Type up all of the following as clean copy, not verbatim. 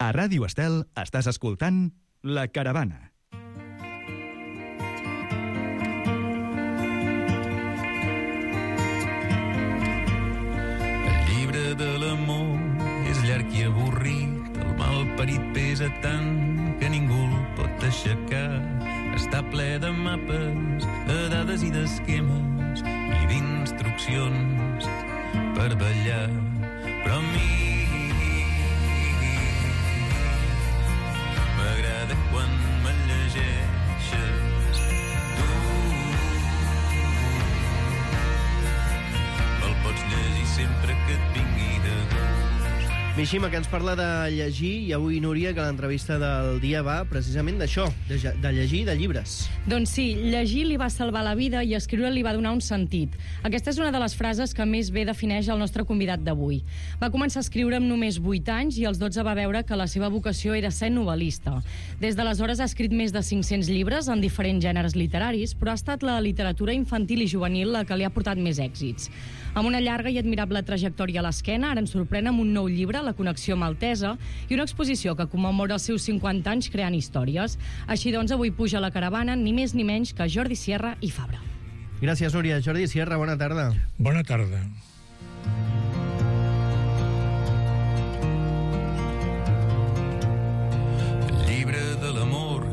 A Ràdio Estel estàs escoltant La Caravana. El llibre de l'amor és llarg i avorrit, el malparit pesa tant que ningú el pot aixecar. Està ple de mapes, de dades i d'esquemes i d'instruccions per ballar. Però a mi m'agrada quan me llegeixes tu. Me'l pots llegir sempre que et vingui de gust. Mishima, que ens parla de llegir, i avui, Núria, que l'entrevista del dia va precisament d'això, de llegir, de llibres. Doncs sí, llegir li va salvar la vida i escriure li va donar un sentit. Aquesta és una de les frases que més bé defineix el nostre convidat d'avui. Va començar a escriure amb només 8 anys i als 12 va veure que la seva vocació era ser novel·lista. Des d'aleshores ha escrit més de 500 llibres en diferents gèneres literaris, però ha estat la literatura infantil i juvenil la que li ha portat més èxits. Amb una llarga i admirable trajectòria a l'esquena, ara ens sorprèn amb un nou llibre, La connexió maltesa, i una exposició que commemora els seus 50 anys creant històries. Així doncs, avui puja a la caravana ni més ni menys que Jordi Sierra i Fabra. Gràcies, Núria. Jordi Sierra, bona tarda. Bona tarda. El llibre de l'amor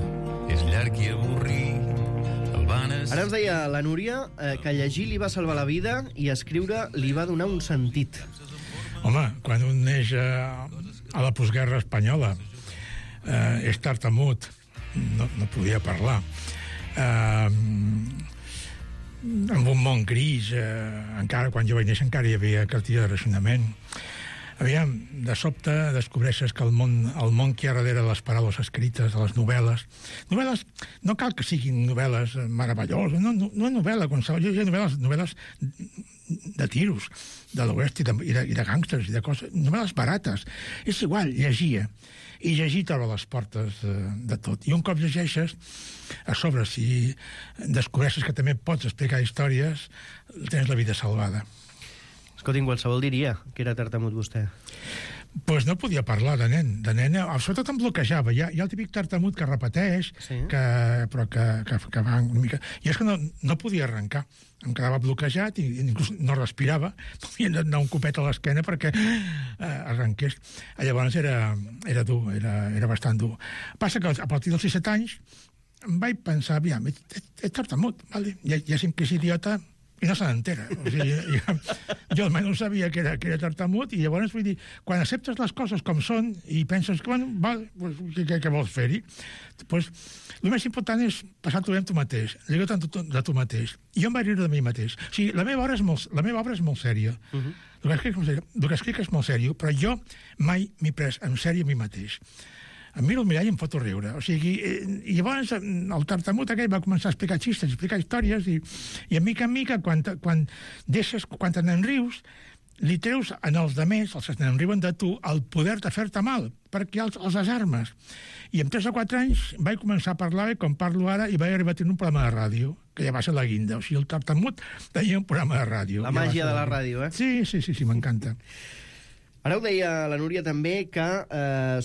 és llarg i avorrit. Ara ens deia la Núria que llegir li va salvar la vida i escriure li va donar un sentit. Home, quan un neix a la postguerra espanyola, és tartamut, no podia parlar, amb un món gris, encara quan jo vaig néixer encara hi havia cartilla de racionament. Aviam, de sobte descobreixes que el món que hi ha darrere de les paraules escrites, de les novel·les, no cal que siguin novel·les meravelloses, no novel·la qualsevol, hi ha novel·les de tiros, de l'oest i de gàngsters i de coses, novel·les barates. És igual, llegia. I llegir t'obre les portes de tot. I un cop llegeixes, a sobre, si descobreixes que també pots explicar històries, tens la vida salvada. Escolti, qualsevol diria que era tartamut vostè. Pues no podia parlar de nen. Sobretot em bloquejava. Hi ha el típic tartamut que repeteix, sí, però que va una mica... I és que no podia arrencar. Em quedava bloquejat i inclús no respirava. Podia anar un copet a l'esquena perquè arrenqués. Llavors era dur, era bastant dur. Passa que a partir dels 17 anys em vaig pensar, aviam, és tartamut, vale? Ja sé que és idiota, i no se n'entera. O sigui, jo almenys sabia que era tartamut, i llavors vull dir, quan acceptes les coses com són i penses que, bueno, vale, pues, què vols fer-hi? Pues, el més important és passar-t'ho bé amb tu mateix, lligar tant de tu mateix. I jo em vaig riure de mi mateix. O sigui, la meva obra és molt sèria. El que escric és molt sèrio, però jo mai m'he pres en sèrio a mi mateix. Em miro al mirall i em foto riure. O sigui, i llavors el tartamut aquell va començar a explicar xistes, a explicar històries, i mica en mica, quan te'n rius, li treus en els demés, els que te'n riuen de tu, el poder de fer-te mal, perquè els desarmes. I amb 3 o 4 anys vaig començar a parlar com parlo ara, i vaig arribar a tenir un programa de ràdio, que ja va ser la guinda. O sigui, el tartamut tenia un programa de ràdio. La màgia de la ràdio, eh? Sí, m'encanta. Ara ho deia la Núria també, que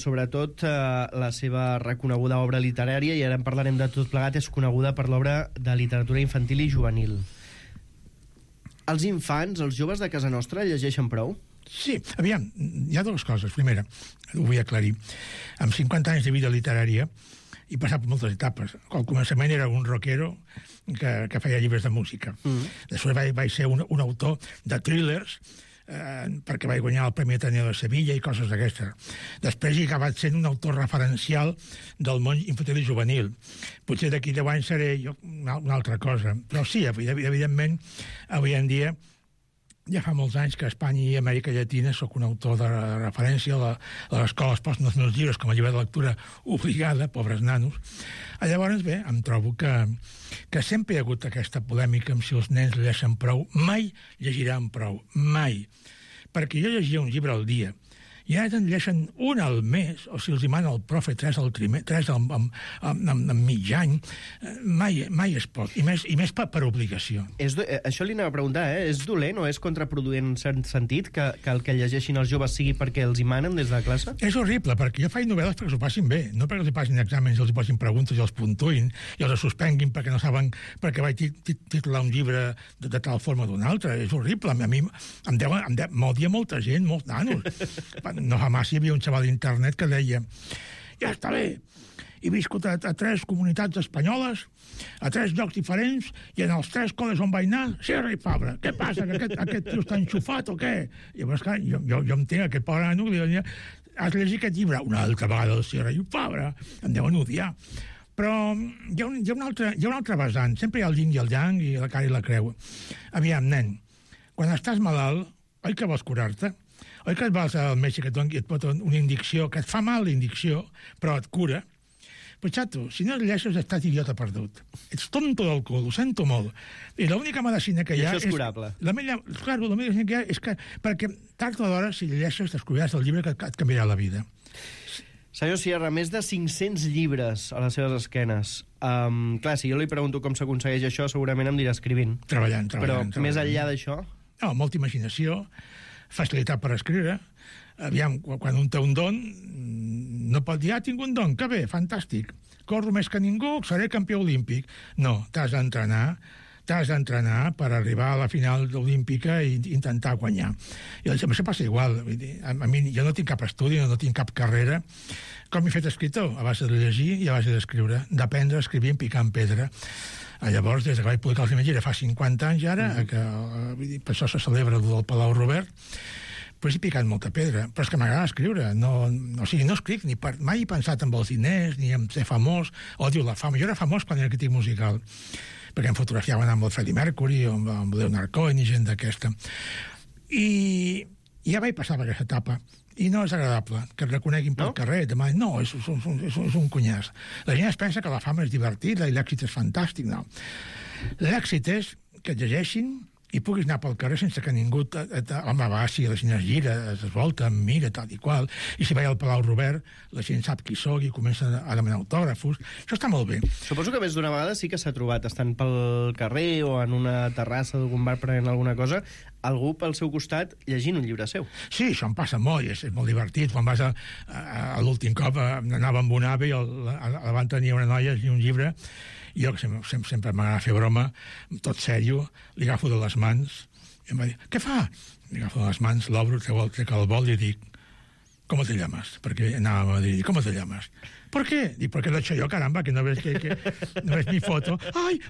sobretot la seva reconeguda obra literària, i ara en parlarem de tot plegat, és coneguda per l'obra de literatura infantil i juvenil. Els infants, els joves de casa nostra, llegeixen prou? Sí, aviam, hi ha dues coses. Primera, ho vull aclarir. Amb 50 anys de vida literària he passat per moltes etapes. Al començament era un rockero que feia llibres de música. Després vaig ser un autor de thrillers, perquè vaig guanyar el Premi Ateneo de Sevilla i coses d'aquestes. Després he acabat sent un autor referencial del món infantil i juvenil. Potser d'aquí 10 anys seré jo una altra cosa. Però sí, evidentment, avui en dia ja fa molts anys que a Espanya i Amèrica Llatina sóc un autor de referència a l'escola es posen els meus llibres com a llibre de lectura obligada, pobres nanos. Llavors, bé, em trobo que sempre hi ha hagut aquesta polèmica amb si els nens llegeixen prou. Mai llegiran prou, mai. Perquè jo llegia un llibre al dia. i ara te'n llegeixen un al mes, o si els hi mana el profe 3 en mig any, mai és poc, i més per obligació. Això li anava a preguntar, és dolent o és contraproduent en cert sentit que el que llegeixin els joves sigui perquè els hi manen des de la classe? És horrible, perquè jo faig novel·les perquè s'ho passin bé, no perquè els hi passin exàmens, els hi posin preguntes i els puntuïn, i els suspenguin perquè no saben perquè vaig titular un llibre de tal forma o d'una altra. És horrible. A mi m'odia molta gent, molts nanos. No fa massa hi havia un xaval d'internet que deia: ja està bé, he viscut a 3 comunitats espanyoles, a 3 llocs diferents, i en els 3 col·les on vaig anar, Sierra i Fabra. Què passa, que aquest tio està enxufat o què? Llavors, clar, jo entenc aquest pobre nano que li diuen: has llegit aquest llibre? Una altra vegada el Sierra i Fabra. Em deuen odiar. Però hi ha un altre vessant. Sempre hi ha el yin i el yang i la cara i la creu. Aviam, nen, quan estàs malalt, oi que vols curar-te? Oi que et vas al metge que et pot una indicció, que et fa mal la indicció, però et cura? Pues, xato, si no et llegeixes, estàs idiota perdut. Ets tonto del cul, ho sento molt. I l'única medicina que hi ha... I això és curable. La medicina que hi ha és que, perquè tard o d'hora, si llegeixes, descobriràs el llibre que et canviarà la vida. Senyor Sierra, més de 500 llibres a les seves esquenes. Clar, si jo li pregunto com s'aconsegueix això, segurament em dirà escrivint. Treballant. Però més enllà d'això... No, molta imaginació, facilitat per escriure. Aviam, quan un té un don, no pot dir: tinc un don, que bé, fantàstic, corro més que ningú, seré campió olímpic. No, t'has d'entrenar per arribar a la final olímpica i intentar guanyar. I això passa igual. A mi, jo no tinc cap estudi, no tinc cap carrera. Com m'he fet escriptor? A base de llegir i a base d'escriure. D'aprendre a escriure picant pedra. Llavors, des que vaig publicar el primer llibre fa 50 anys ara, per això se celebra el del Palau Robert, pues he picat molta pedra, però és que m'agrada escriure. No escric, mai he pensat en els diners, ni en ser famós, odio la fama. Jo era famós quan era crític musical, perquè em fotografiaven amb el Freddie Mercury o amb Leonard Cohen i gent d'aquesta. I ja vaig passar per aquesta etapa, i no és agradable que et reconeguin pel carrer. No, és un cunyàs. La gent es pensa que la fama és divertida i l'èxit és fantàstic. No. L'èxit és que et llegeixin i puguis anar pel carrer sense que ningú home, va, si la gent es gira, es volta, em mira, tal i qual, i si vaig al Palau Robert, la gent sap qui soc i comença a demanar autògrafos. Això està molt bé. Suposo que més d'una vegada sí que s'ha trobat, estant pel carrer o en una terrassa d'algun bar prenent alguna cosa, algú pel seu costat llegint un llibre seu. Sí, això em passa molt, és molt divertit. Quan vas a l'últim cop, anava amb un ave i davant tenia una noia i un llibre, i jo, que sempre m'agrada fer broma, tot sèrio, li agafo de les mans, i em va dir: què fa? Li agafo de les mans, l'obro, trec el bol i dic: ¿cómo te llamas? Porque anava a Madrid. ¿Cómo te llamas? ¿Por qué? Dic, porque lo he hecho yo, caramba, que no ves no ves mi foto. Ai!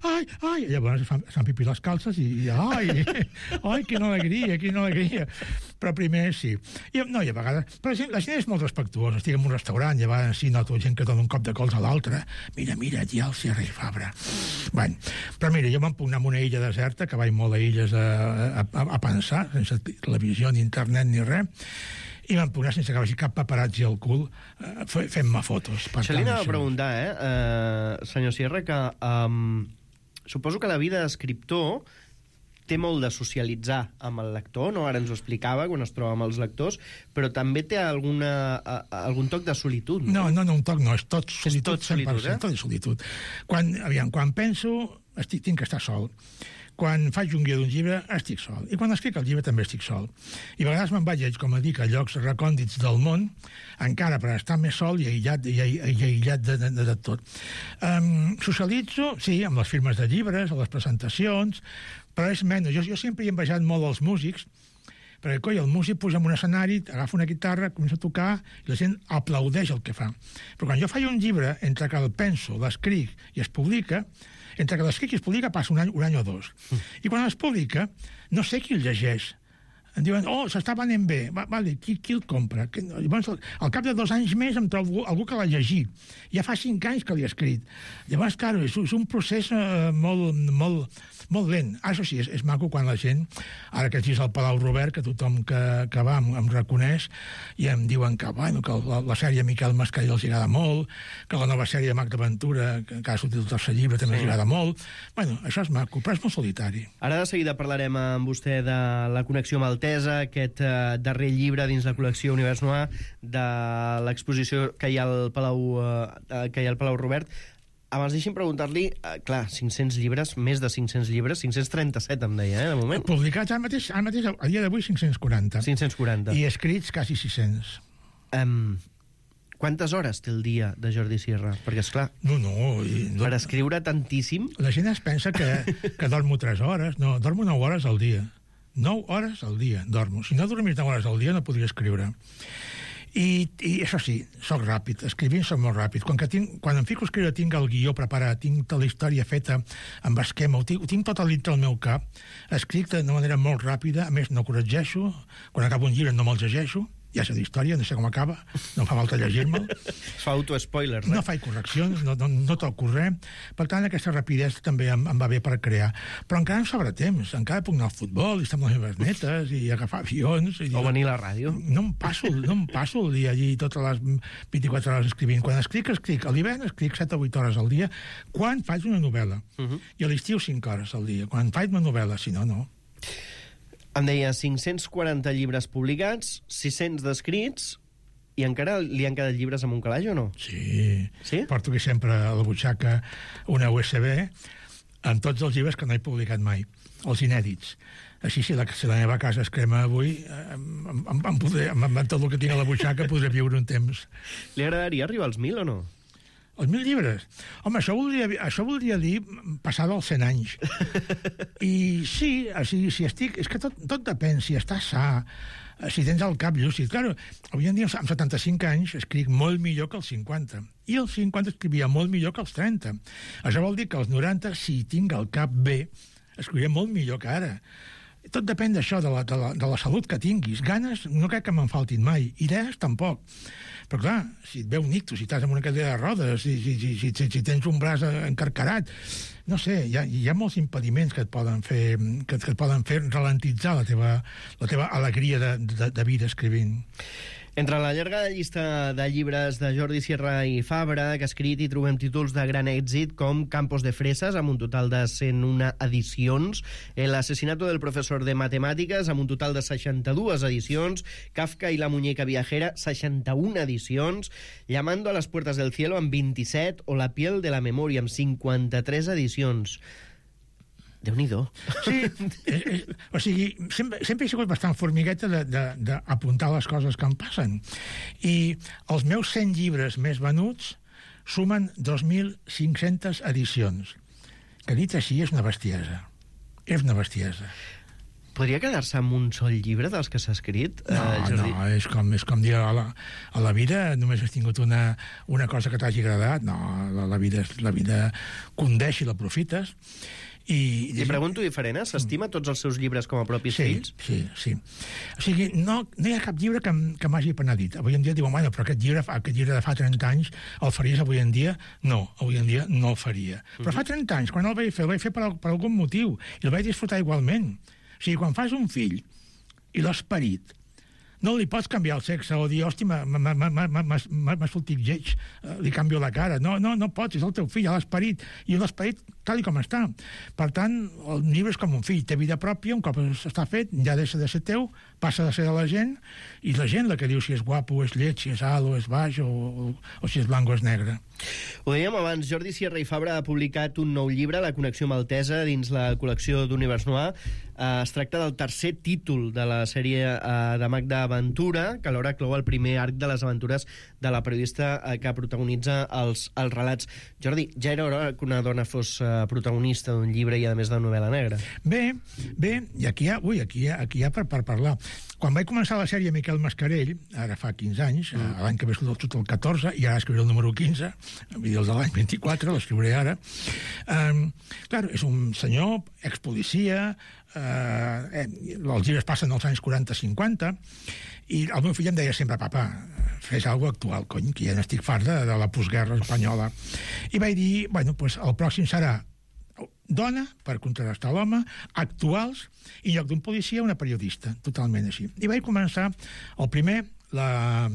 I llavors fan pipí les calces i ai, quina alegria. Però primer sí. I a vegades... Però la gent és molt respectuosa. Estic en un restaurant, i a vegades sí noto gent que dona un cop de cols a l'altre. Mira, ja el Sierra i Fabra. Bueno, però mira, jo me'n puc anar a una illa deserta, que vaig molt a illes a pensar, sense televisió, ni internet, ni res, i vam posar sense que vagi cap paparazzi al cul fent-me fotos. Això li anava a preguntar, senyor Sierra, que suposo que la vida d'escriptor té molt de socialitzar amb el lector, no? Ara ens ho explicava quan es troba amb els lectors, però també té algun toc de solitud. No, un toc no, és tot solitud. És tot solitud, 100%, tot és solitud. Quan penso, tinc que estar sol. Quan faig un guió d'un llibre, estic sol. I quan escric el llibre també estic sol. I a vegades me'n vaig, com a dic, a llocs recòndits del món, encara per estar més sol i aïllat de tot. Socialitzo, sí, amb les firmes de llibres, a les presentacions, però és menys. Jo sempre he envejat molt els músics, perquè, el músic puja en un escenari, agafa una guitarra, comença a tocar, i la gent aplaudeix el que fa. Però quan jo faig un llibre, entre que el penso, l'escric i es publica, entre que l'escric i es publica passa un any o dos. I quan es publica, no sé qui el llegeix. Em diuen: s'està venent bé. Vale, qui el compra? Llavors, al cap de 2 anys més em trobo algú que l'ha llegit. Ja fa 5 anys que l'he escrit. Llavors, clar, és un procés molt lent. Això sí, és maco quan la gent, ara que ets al Palau Robert, que tothom que va em reconeix i em diuen que la sèrie Miquel Mascarell els agrada molt, que la nova sèrie de Magda Ventura, que ha sortit el 3è llibre, també els agrada molt. Bueno, això és maco, però és molt solitari. Ara de seguida parlarem amb vostè de la connexió amb el Maltesa, aquest darrer llibre dins la col·lecció Univers Noir de l'exposició que hi ha al Palau Robert. Abans deixi'm preguntar-li, clar, 500 llibres, més de 500 llibres, 537 em deia, de moment. Publicats ara mateix, a dia d'avui, 540. 540. I escrits quasi 600. Quantes hores té el dia de Jordi Sierra? Perquè, esclar, per escriure tantíssim... La gent es pensa que dormo 3 hores. No, dormo 9 hores al dia. 9 hores al dia dormo. Si no dormís 9 hores al dia no podria escriure. I això sí, soc ràpid. Escrivint soc molt ràpid. Quan em fico a escriure tinc el guió preparat, tinc tota la història feta amb esquema, ho tinc tot dintre el meu cap. Escric d'una manera molt ràpida, a més no corregeixo. Quan acabo un llibre no me'l llegeixo. Ja sé d'història, no sé com acaba, no fa falta llegir-me'l. Es fa auto-spoiler, no faig correccions, no toco res. Per tant, aquesta rapidesa també em va bé per crear. Però encara em sobra temps, encara puc anar al futbol i estar amb les meves netes i agafar avions. O venir a la ràdio. No em passo el dia allí totes les 24 hores escrivint. Quan escric. A l'hivern escric 7 o 8 hores al dia, quan faig una novel·la. I a l'estiu 5 hores al dia, quan faig una novel·la, si no, no. Em deia 540 llibres publicats, 600 d'escrits, i encara li han quedat llibres amb un calaix o no? Sí? Porto aquí sempre a la butxaca una USB amb tots els llibres que no he publicat mai, els inèdits. Així, si la meva casa es crema avui, amb tot el que tinc a la butxaca podré viure un temps. Li agradaria arribar als 1.000 o no? Els 1.000 llibres? Home, això voldria dir passar dels 100 anys. I sí, si estic... És que tot depèn, si estàs sa, si tens el cap lúcid. Clar, avui en dia, amb 75 anys, escric molt millor que els 50. I als 50 escrivia molt millor que als 30. Això vol dir que als 90, si tinc el cap bé, escrivia molt millor que ara. Tot depèn d'això, de la salut que tinguis. Ganes no crec que me'n faltin mai. Idees, tampoc. Però clar, si et ve un ictus, si estàs amb una cadira de rodes, si tens un braç encarcarat, no sé, hi ha molts impediments que et poden fer ralentitzar la teva alegria de vida escrivint. Entre la llarga llista de llibres de Jordi Sierra i Fabra que ha escrit hi trobem títols de gran èxit com Campos de Fresas, amb un total de 101 edicions, El asesinato del profesor de matemàtiques, amb un total de 62 edicions, Kafka i la muñeca viajera, 61 edicions, Llamando a las puertas del cielo, amb 27, o La piel de la memoria, amb 53 edicions. Déu-n'hi-do. Sí, o sigui, sempre he sigut bastant formigueta d'apuntar les coses que em passen. I els meus 100 llibres més venuts sumen 2.500 edicions. Que dit així és una bestiesa. És una bestiesa. Podria quedar-se amb un sol llibre dels que s'ha escrit, Jordi? No, és com dir a la vida només has tingut una cosa que t'hagi agradat. No, la vida condeix i l'aprofites. Li pregunto diferent, s'estima tots els seus llibres com a propis fills? Sí. O sigui, no hi ha cap llibre que m'hagi penedit. Avui en dia diuen, bueno, però aquest llibre de fa 30 anys el faries avui en dia? No, avui en dia no el faria. Però fa 30 anys, quan el vaig fer per algun motiu, i el vaig disfrutar igualment. O sigui, quan fas un fill i l'esperit, no li pots canviar el sexe o dir, hòstia, m'ha sortit lleig, li canvio la cara. No pots, és el teu fill, l'esperit, i l'esperit tal com està. Per tant, el llibre és com un fill, té vida pròpia, un cop està fet, ja deixa de ser teu, passa de ser de la gent, i la gent la que diu si és guapo o és lleig, si és alt o és baix, o si és blanc o és negre. Ho dèiem abans, Jordi Sierra i Fabra ha publicat un nou llibre, La connexió maltesa, dins la col·lecció d'Univers Noir. Es tracta del tercer títol de la sèrie de Magda Ventura, que alhora clou el primer arc de les aventures de la periodista que protagonitza els relats. Jordi, ja era hora que una dona fos protagonista d'un llibre i a més de novel·la negra. Bé, i aquí hi ha per parlar. Quan vaig començar la sèrie Miquel Mascarell, ara fa 15 anys, l'any que ve surt el 14, i ara escriuré el número 15, el de l'any 24, l'escriuré ara. Clar, és un senyor, expolicia, els llibres passen als anys 40-50, i el meu fill em deia sempre, papa, fes alguna actual, cony, que ja n'estic fart de la postguerra espanyola. I vaig dir, bueno, pues el pròxim serà dona, per contrastar l'home, actuals, i en lloc d'un policia, una periodista, totalment així. I vaig començar, el primer, la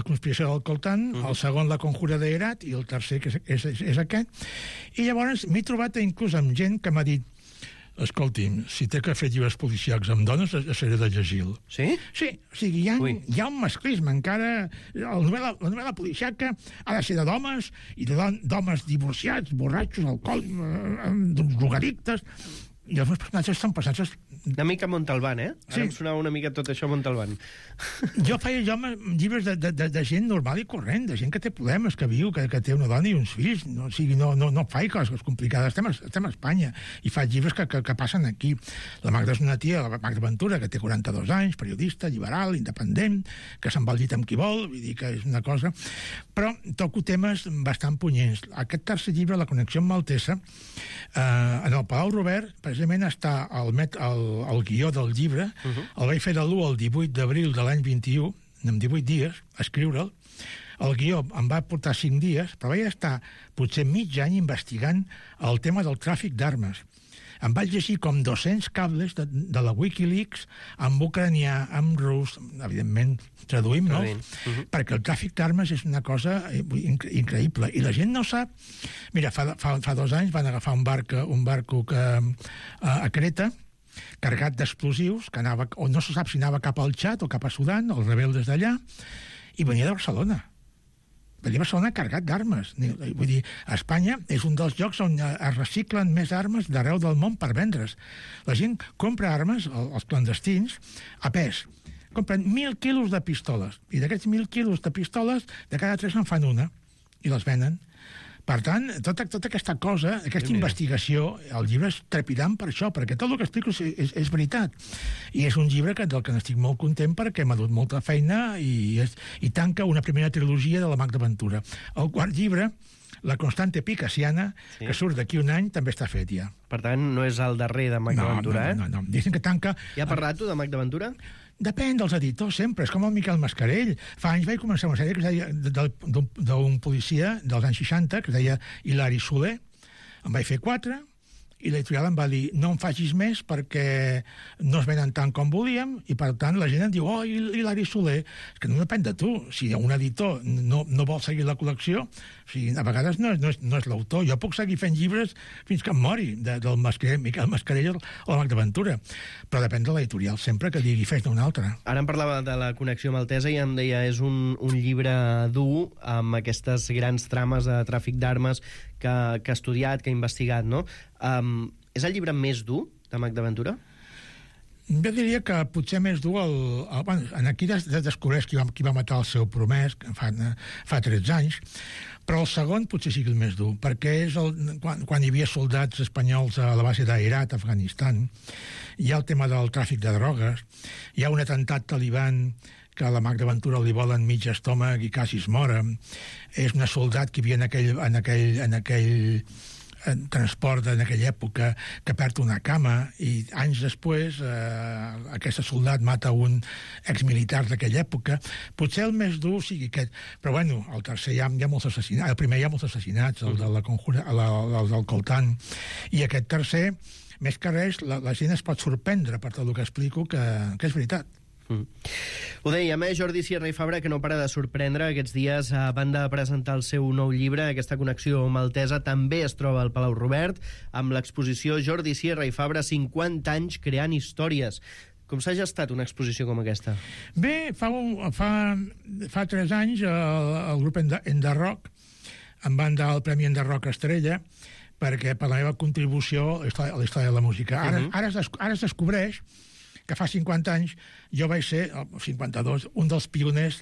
conspiració del Coltán, el segon, la conjura de Herat, i el tercer, que és aquest. I llavors m'he trobat inclús amb gent que m'ha dit, Escolti'm, si té que fer llibres policiacs amb dones, seré de llegir-lo. Sí? Sí, o sigui, hi ha un masclisme encara. La novel·la policiaca ha de ser d'homes i d'homes divorciats, borratxos, alcohòlics, drogadictes. I els meus personatges són personatges... Una mica Montalbán, eh? Ara Sí. em sonava una mica tot això Montalbán. Jo feia llibres de gent normal i corrent, de gent que té problemes, que viu, que té una dona i uns fills. No, o sigui, no faig coses complicades. Estem a Espanya i faig llibres que passen aquí. La Magda és una tia, la Magda Ventura, que té 42 anys, periodista, liberal, independent, que se'n va al llit amb qui vol, vull dir que és una cosa... Però toco temes bastant punyents. Aquest tercer llibre, La connexió amb Maltesa, en el Palau Robert, precisament està el guió del llibre, el vaig fer de l'1 al 18 d'abril de l'any 21, en 18 dies, a escriure'l. El guió em va portar 5 dies, però vaig estar potser mig any investigant el tema del tràfic d'armes. Em vaig llegir com 200 cables de la Wikileaks, amb ucranià, amb rus, evidentment traduïm, no? Perquè el tràfic d'armes és una cosa increïble. I la gent no sap... Mira, fa 2 anys van agafar un barco a Creta, carregat d'explosius, que anava, o no se sap si anava cap al Txad o cap a Sudan, els rebeldes d'allà, i venia de Barcelona. Venia a Barcelona carregat d'armes. Vull dir, Espanya és un dels llocs on es reciclen més armes d'arreu del món per vendre's. La gent compra armes, els clandestins, a pes. Compren 1.000 quilos de pistoles, i d'aquests 1.000 quilos de pistoles, de cada 3 en fan una, i les venen. Per tant, tota aquesta cosa, aquesta investigació, el llibre és trepidant per això, perquè tot el que explico és veritat. I és un llibre del que n'estic molt content perquè m'ha dut molta feina i tanca una primera trilogia de la Magda Ventura. El quart llibre, La constante picasiana, que surt d'aquí un any, també està fet ja. Per tant, no és el darrer de Magda Ventura, eh? No. Dicen que tanca... Ja ha parlat tu de Magda Ventura? Depèn dels editors, sempre. És com el Miquel Mascarell. Fa anys vaig començar una sèrie que es deia d'un policia dels anys 60, que es deia Hilari Soler. En vaig fer 4, i l'editorial em va dir no en facis més perquè no es venen tant com volíem, i per tant la gent em diu Hilari Soler. És que no depèn de tu. Si un editor no vol seguir la col·lecció, o sigui, a vegades no és l'autor. Jo puc seguir fent llibres fins que em mori, del Miquel Mascarell o la Magda Ventura, però depèn de l'editorial sempre que digui fes d'un altre. Ara em parlava de La connexió maltesa i em deia és un llibre dur amb aquestes grans trames de tràfic d'armes que ha estudiat, que ha investigat, no? És el llibre més dur de Magda Ventura? Jo diria que potser més dur aquí descobreix qui va matar el seu promès, que fa 13 anys, però el segon potser sigui el més dur, perquè és quan hi havia soldats espanyols a la base d'Herat, Afganistan, hi ha el tema del tràfic de drogues, hi ha un atemptat taliban que a la Magda Ventura li volen mig estómac i quasi es mora. És una soldat que hi havia en aquell transport en aquella època que perd una cama i anys després aquest soldat mata un exmilitar d'aquella època. Potser el més dur sigui aquest, però bueno, el tercer hi ha molts assassinats, el primer hi ha molts assassinats, el de la Conjura, el del Coltán, i aquest tercer, més que res, la gent es pot sorprendre per tot el que explico que és veritat. Ho dèiem, Jordi Sierra i Fabra, que no para de sorprendre. Aquests dies van de presentar el seu nou llibre. Aquesta connexió maltesa també es troba al Palau Robert, amb l'exposició Jordi Sierra i Fabra, 50 anys creant històries. Com s'ha gestat una exposició com aquesta? Bé, fa 3 anys el grup Enderrock em van dar el Premi Enderrock Estrella perquè per la meva contribució a la història de la música. Ara es descobreix que fa 50 anys jo vaig ser, 52, un dels pioners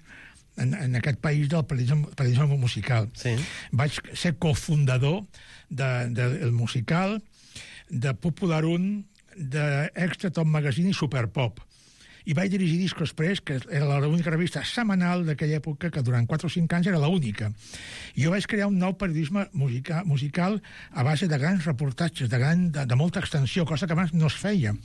en aquest país del periodisme musical. Sí. Vaig ser cofundador del musical, de Popular 1, d'Extra Top Magazine i Superpop. I vaig dirigir Disco Express, que era l'única revista setmanal d'aquella època, que durant 4 o 5 anys era l'única. I jo vaig crear un nou periodisme musical a base de grans reportatges, de molta extensió, cosa que abans no es feia.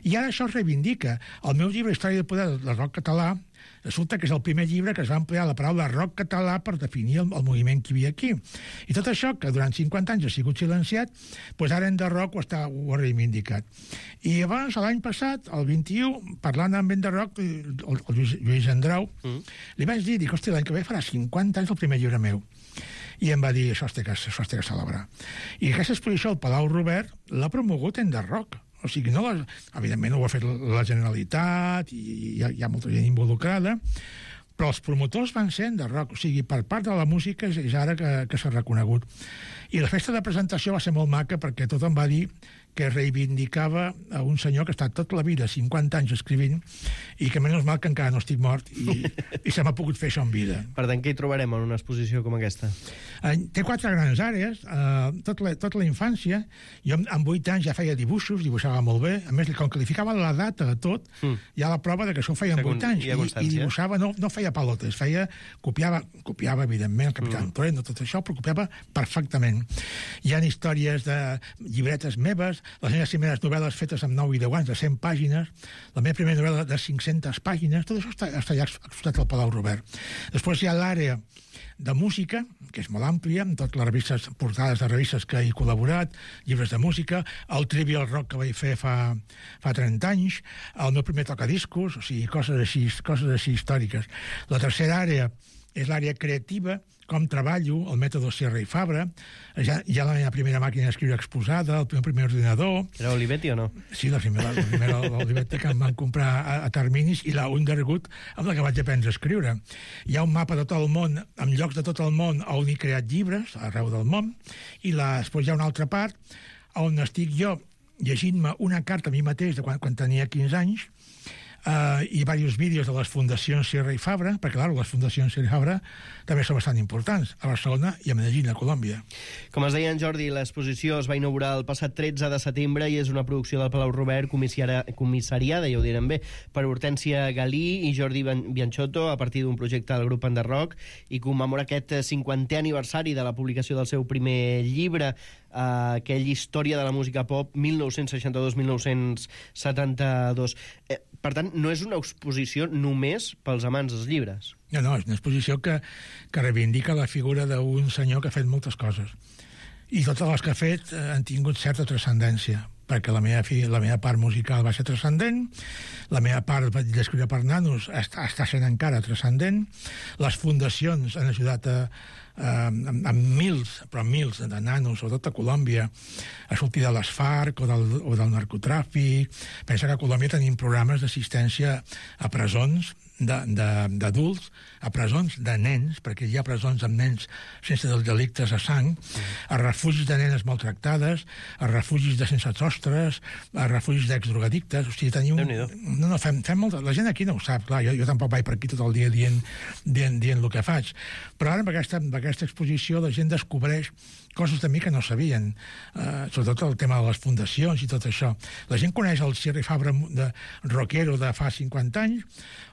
I ara això es reivindica. El meu llibre Història de poder del rock català resulta que és el primer llibre que es va emplear la paraula rock català per definir el moviment que hi havia aquí. I tot això, que durant 50 anys ha sigut silenciat, doncs ara Enderrock ho ha reivindicat. I abans, l'any passat, el 21, parlant amb Enderrock, el Lluís Andrau, li vaig dir, hosti, l'any que ve farà 50 anys el primer llibre meu. I em va dir, això es té que celebrar. I aquesta exposició al Palau Robert l'ha promogut Enderrock. O sigui, no evidentment ho ha fet la Generalitat i hi ha molta gent involucrada, però els promotors van ser de rock, o sigui, per part de la música és ara que s'ha reconegut. I la festa de presentació va ser molt maca perquè tothom va dir que reivindicava a un senyor que ha estat tota la vida, 50 anys escrivint, i que menys mal que encara no estic mort i se m'ha pogut fer això en vida. Per tant, què hi trobarem en una exposició com aquesta? Té 4 grans àrees, tota la infància. Jo amb 8 anys ja feia dibuixos, dibuixava molt bé. A més, com que li ficava la data a tot, hi ha la prova de que això ho feia amb 8 anys. I dibuixava, no feia palotes, copiava, evidentment, el Capitán Trueno, tot això, però copiava perfectament. Hi ha històries de llibretes meves, les meves primeres novel·les fetes amb 9 i 10 anys, de 100 pàgines, la meva primera novel·la de 500 pàgines, tot això està ja exposat al Palau Robert. Després hi ha l'àrea de música, que és molt àmplia, amb totes les revistes, portades de revistes que he col·laborat, llibres de música, el Trivial Rock que vaig fer fa 30 anys, el meu primer tocadiscos, o sigui, coses així històriques. La tercera àrea és l'àrea creativa, com treballo, el mètode Sierra i Fabra, ja la meva primera màquina d'escriure exposada, el meu primer ordinador... Era Olivetti o no? Sí, la primera Olivetti que em van comprar a terminis i la Underwood amb la que vaig aprendre a escriure. Hi ha un mapa de tot el món, amb llocs de tot el món on he creat llibres, arreu del món, i després hi ha una altra part on estic jo llegint-me una carta a mi mateix de quan tenia 15 anys, i diversos vídeos de les fundacions Sierra i Fabra, perquè, clar, les fundacions Sierra i Fabra també són bastant importants, a Barcelona i a Medellín, a Colòmbia. Com es deia en Jordi, l'exposició es va inaugurar el passat 13 de setembre i és una producció del Palau Robert comissariada, ja ho direm bé, per Hortència Galí i Jordi Bianchotto a partir d'un projecte del grup Underrock i commemora aquest 50è aniversari de la publicació del seu primer llibre, aquella història de la música pop 1962-1972. Per tant, no és una exposició només pels amants dels llibres. No, és una exposició que reivindica la figura d'un senyor que ha fet moltes coses. I totes les que ha fet han tingut certa transcendència, perquè la meva part musical va ser transcendent, la meva part d'escriure per nanos està sent encara transcendent, les fundacions han ajudat amb mils de nanos, sobretot a Colòmbia, a sortir de les FARC o del narcotràfic. Pensa que a Colòmbia tenim programes d'assistència a presons d'adults, a presons de nens, perquè hi ha presons amb nens sense delictes a sang, a refugis de nenes maltractades, a refugis de sense sostres, a refugis d'exdrogadictes. O sigui, tenim... fem molt... La gent aquí no ho sap, clar, jo tampoc vaig per aquí tot el dia dient el que faig. Però ara, amb aquesta exposició, la gent descobreix coses de mi que no sabien, sobretot el tema de les fundacions i tot això. La gent coneix el Sierra i Fabra de rockero de fa 50 anys,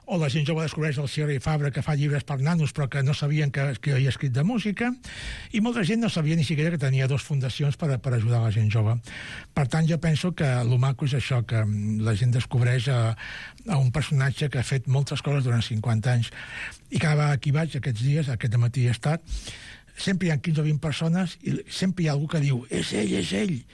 o la gent jove descobreix el Sierra i Fabra que fa llibres per nanos però que no sabien que havia escrit de música, i molta gent no sabia ni siquiera que tenia 2 fundacions per ajudar la gent jove. Per tant, jo penso que el maco és això, que la gent descobreix a un personatge que ha fet moltes coses durant 50 anys. I cada vegada que hi vaig, aquests dies, aquest matí he estat, sempre hi ha 15 o 20 persones i sempre hi ha algú que diu és ell,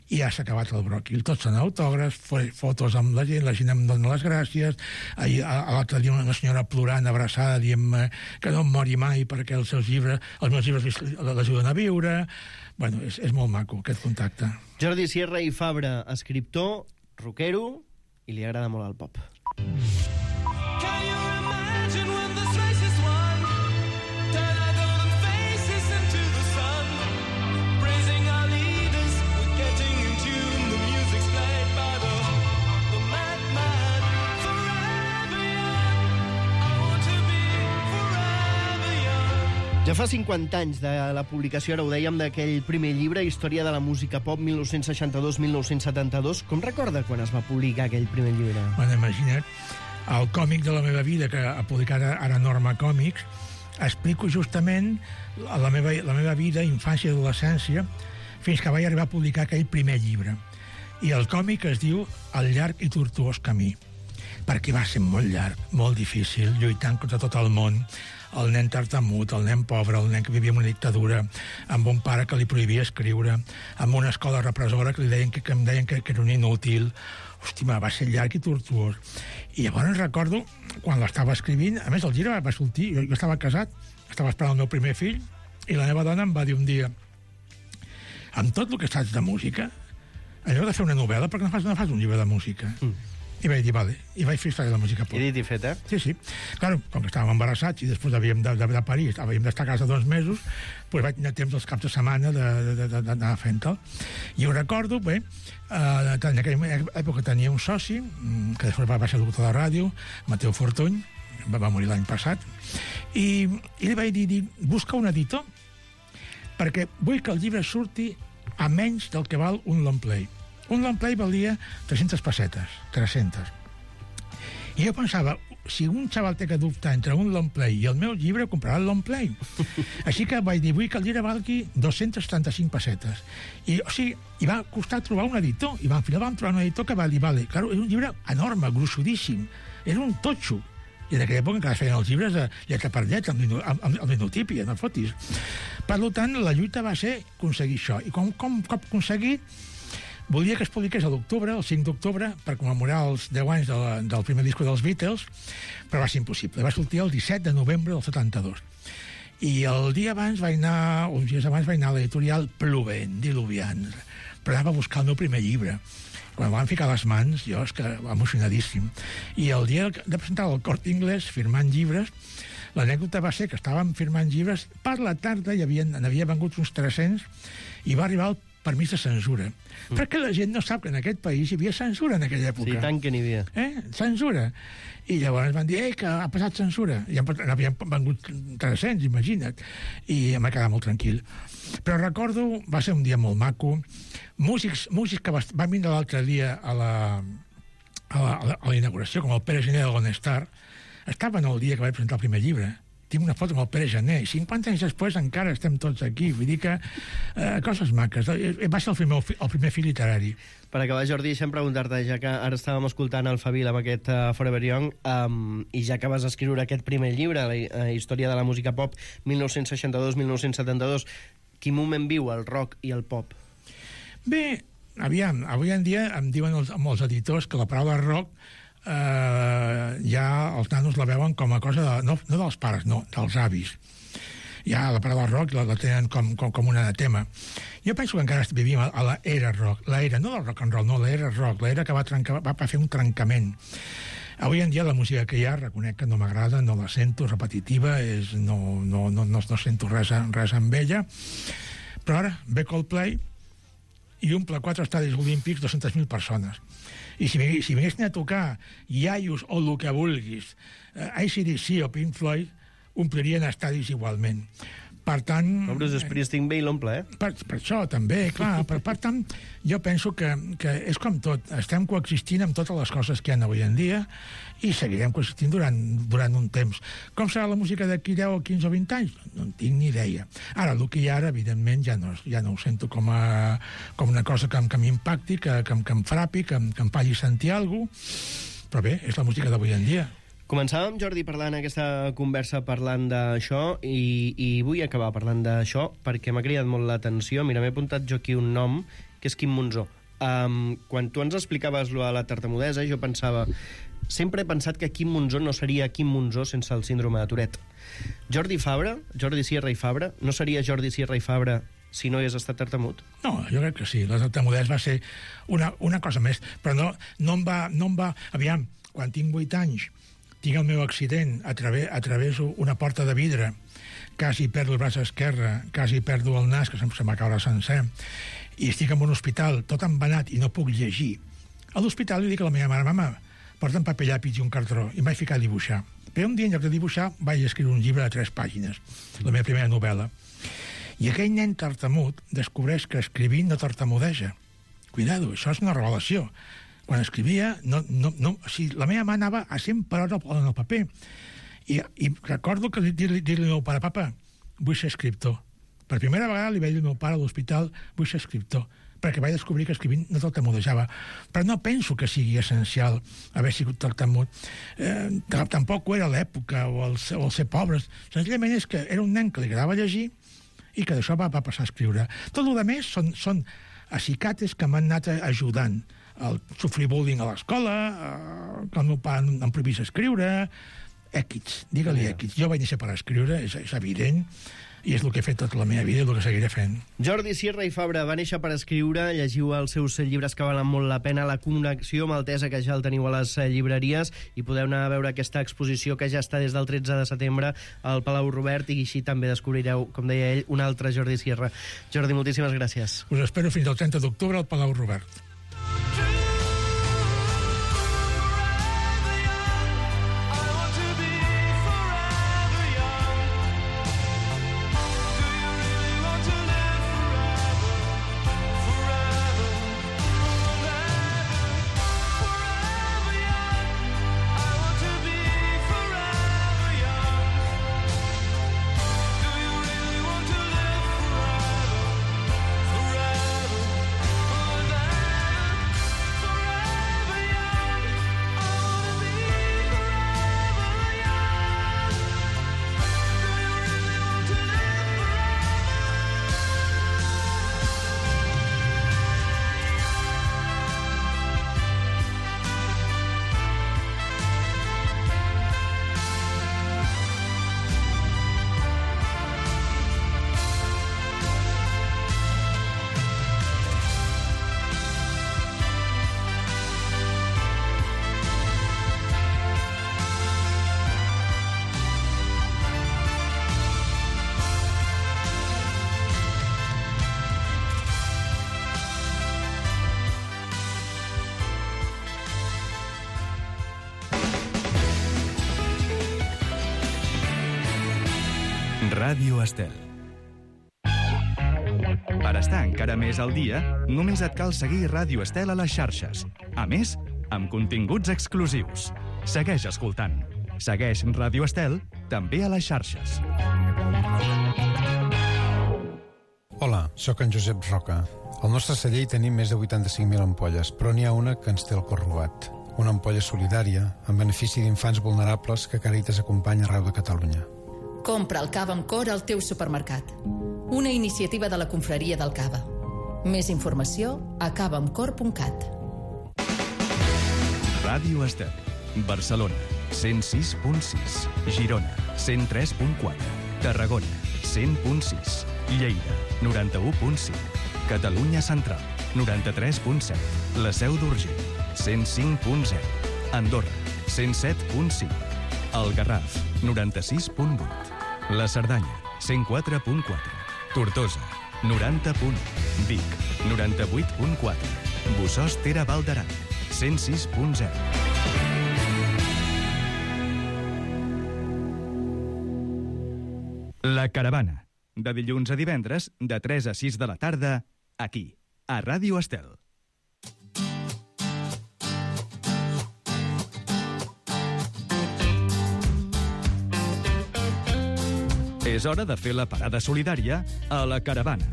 i ja s'ha acabat el bròquil. Tots són autògrafs, fotos amb la gent em dona les gràcies. L'altre dia una senyora plorant, abraçada, dient que no em mori mai perquè els meus llibres l'ajuden a viure. Bueno, és molt maco, aquest contacte. Jordi Sierra i Fabra, escriptor, rockero, i li agrada molt el pop. Ja fa 50 anys de la publicació, ara ho dèiem, d'aquell primer llibre, Història de la música pop 1962-1972. Com recorda quan es va publicar aquell primer llibre? Bueno, imagina't, el còmic de la meva vida, que ha publicat ara Norma Còmics, explico justament la meva vida, infància i adolescència, fins que vaig arribar a publicar aquell primer llibre. I el còmic es diu El llarg i tortuós camí, perquè va ser molt llarg, molt difícil, lluitant contra tot el món, el nen tartamut, el nen pobre, el nen que vivia en una dictadura, amb un pare que li prohibia escriure, amb una escola repressora que em deien que era un inútil. Hosti, va ser llarg i tortuós. I llavors recordo, quan l'estava escrivint, a més el llibre va sortir, jo estava casat, estava esperant el meu primer fill, i la meva dona em va dir un dia: amb tot el que saps de música, allò de fer una novel·la, perquè no fas un llibre de música? I vaig dir, vale, i vaig fer història de la música pop. I dit i fet, Sí. Claro, com que estàvem embarassats i després havíem de parir, havíem d'estar a casa 2 mesos, doncs vaig tenir temps els caps de setmana d'anar fent-el. I ho recordo, bé, en aquella època tenia un soci, que després va ser locutor de ràdio, Mateu Fortuny, va morir l'any passat, i li vaig dir, busca un editor, perquè vull que el llibre surti a menys del que val un long play. Un long play valia 300 pessetes, 300. I jo pensava, si un xaval té que dubtar entre un long play i el meu llibre, comprarà el long play. Així que vaig dir, vull que el llibre valgui 235 pessetes. I va costar trobar un editor. I al final vam trobar un editor que va dir, vale, claro, és un llibre enorme, gruixudíssim. Era un totxo. I en aquella època encara es feien els llibres lletra per lletra, amb linotípia, no fotis. Per tant, la lluita va ser aconseguir això. I com aconseguir, volia que es publiqués a l'octubre, el 5 d'octubre, per commemorar els 10 anys del primer disco dels Beatles, però va ser impossible. Va sortir el 17 de novembre del 72. I el dia abans uns dies abans vaig anar a l'editorial plovent, diluviant, però anava a buscar el meu primer llibre. Quan van ficar les mans, jo és que emocionadíssim. I el dia de presentar el Corte Inglés, firmant llibres, l'anècdota va ser que estàvem firmant llibres, per la tarda n'havia vengut uns 300 i va arribar el permís de censura. Perquè la gent no sap que en aquest país hi havia censura en aquella època. Sí, tant que n'hi havia. Censura. I llavors van dir, que ha passat censura. I n'havien vengut 300, imagina't. I em va quedar molt tranquil. Però recordo, va ser un dia molt maco, músics que van vindre l'altre dia a la inauguració, com el Pere Gené de l'Honestar, estaven el dia que vaig presentar el primer llibre. Tinc una foto amb el Pere Gené, i 50 anys després encara estem tots aquí, vull dir que coses maques. Va ser el primer fill literari. Per acabar, Jordi, deixa'm preguntar-te, ja que ara estàvem escoltant el Fabíl amb aquest Forever Young, i ja que vas escriure aquest primer llibre, la història de la música pop, 1962-1972, quin moment viu el rock i el pop? Bé, aviam, avui en dia em diuen molts editors que la paraula rock ja els nanos la veuen com a cosa no dels pares, no, dels avis. Ja la paraula rock la tenen com un anatema. Jo penso que encara vivim a l'era rock, l'era, no del rock and roll, no, l'era rock, l'era que va fer un trencament. Avui en dia la música que hi ha, reconec que no m'agrada, no la sento, repetitiva, no sento res amb ella, però ara ve Coldplay i omple 4 estadis olímpics 200.000 persones. I si vinguessin a tocar iaios o el que vulguis, AC/DC o Pink Floyd, omplirien estadis igualment. Per tant... Bruce Springsteen ve i l'omple, Per això, també, clar. Per tant, jo penso que és com tot. Estem coexistint amb totes les coses que hi ha avui en dia i seguirem coexistint durant un temps. Com serà la música d'aquí 10 o 15 o 20 anys? No en tinc ni idea. Ara, el que hi ha ara, evidentment, ja no ho sento com una cosa que m'impacti, que em frapi, que em faci sentir alguna cosa, però bé, és la música d'avui en dia. Començàvem, Jordi, parlant aquesta conversa parlant d'això i vull acabar parlant d'això perquè m'ha cridat molt l'atenció. Mira, m'he apuntat jo aquí un nom, que és Quim Monzó. Quan tu ens explicaves a la tartamudesa, jo pensava... Sempre he pensat que Quim Monzó no seria Quim Monzó sense el síndrome de Tourette. Jordi Sierra i Fabra, no seria Jordi Sierra i Fabra si no hagués estat tartamut? No, jo crec que sí. La tartamudesa va ser una cosa més, però no em va... Aviam, quan tinc 8 anys tinc el meu accident, atraveso una porta de vidre, quasi perdo el braç esquerre, quasi perdo el nas, que se'm va caure sencer, i estic en un hospital tot embenat i no puc llegir. A l'hospital li dic a la meva mare, mama, porta'm paper llapis i un cartró, i em vaig ficar a dibuixar. Però un dia, en lloc de dibuixar, vaig escriure un llibre de 3 pàgines, la meva primera novel·la. I aquell nen tartamut descobreix que escrivint no tartamudeja. Cuidado, això és una revelació. Quan escrivia, la meva mà anava a 100 per hora en el paper. I recordo que dir-li al meu pare, papa, vull ser escriptor. Per primera vegada li vaig dir al meu pare a l'hospital, vull ser escriptor, perquè vaig descobrir que escrivint no tartamudejava. Però no penso que sigui essencial haver sigut tartamut. Tampoc ho era l'època o el ser pobres. Senzillament és que era un nen que li agradava llegir i que d'això va passar a escriure. Tot el més són acicates que m'han anat ajudant. El sofrir bullying a l'escola, que el meu pare em prohibís escriure, èquits, digue-li èquits. Jo vaig néixer per escriure, és evident, i és el que he fet tota la meva vida i el que seguiré fent. Jordi Sierra i Fabra va néixer per escriure, llegiu els seus llibres que valen molt la pena, La connexió maltesa, que ja el teniu a les llibreries, i podeu anar a veure aquesta exposició que ja està des del 13 de setembre al Palau Robert, i així també descobrireu, com deia ell, un altre Jordi Sierra. Jordi, moltíssimes gràcies. Us espero fins al 30 d'octubre al Palau Robert. Ràdio Estel. Per estar encara més al dia, només et cal seguir Ràdio Estel a les xarxes. A més, amb continguts exclusius. Segueix escoltant. Segueix Ràdio Estel també a les xarxes. Hola, sóc en Josep Roca. Al nostre celler hi tenim més de 85.000 ampolles, però n'hi ha una que ens té el cor robat. Una ampolla solidària, en benefici d'infants vulnerables que Càritas acompanya arreu de Catalunya. Compra el cava amb cor al teu supermercat. Una iniciativa de la Confraria del Cava. Més informació a cavaamcor.cat. Ràdio Estel. Barcelona, 106.6. Girona, 103.4. Tarragona, 100.6. Lleida, 91.5. Catalunya Central, 93.7. La Seu d'Urgell, 105.0. Andorra, 107.5. El Garraf, 96.8. La Cerdanya, 104.4. Tortosa, 90.1. Vic, 98.4. Bossòst Tere Val d'Aran, 106.0. La Caravana, de dilluns a divendres, de 3 a 6 de la tarda, aquí, a Ràdio Estel. És hora de fer la parada solidària a la Caravana.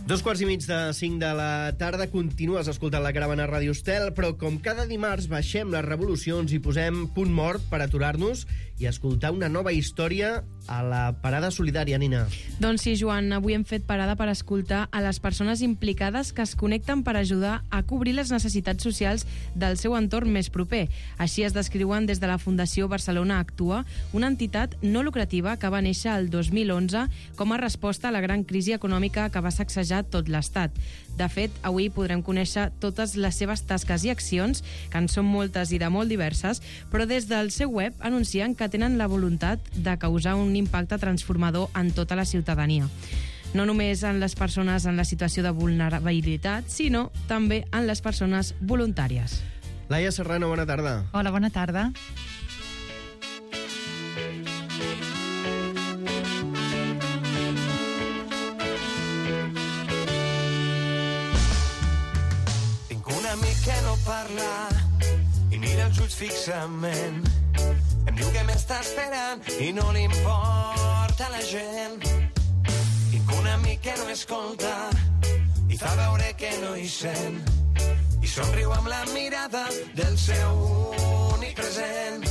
2:45 de la tarda, continues escoltant la Caravana a Ràdio Estel, però com cada dimarts baixem les revolucions i posem punt mort per aturar-nos i escoltar una nova història a la parada solidària, Nina. Doncs sí, Joan, avui hem fet parada per escoltar a les persones implicades que es connecten per ajudar a cobrir les necessitats socials del seu entorn més proper. Així es descriuen des de la Fundació Barcelona Actua, una entitat no lucrativa que va néixer el 2011 com a resposta a la gran crisi econòmica que va sacsejar tot l'Estat. De fet, avui podrem conèixer totes les seves tasques i accions, que en són moltes i de molt diverses, però des del seu web anuncien que tenen la voluntat de causar un impacte transformador en tota la ciutadania. No només en les persones en la situació de vulnerabilitat, sinó també en les persones voluntàries. Laia Serrano, bona tarda. Hola, bona tarda. Tinc un amic que no parla i mira els ulls fixament. Em diu que m'està esperant i no li importa la gent. Tinc un amic que no escolta i fa veure que no hi sent. I somriu amb la mirada del seu únic present.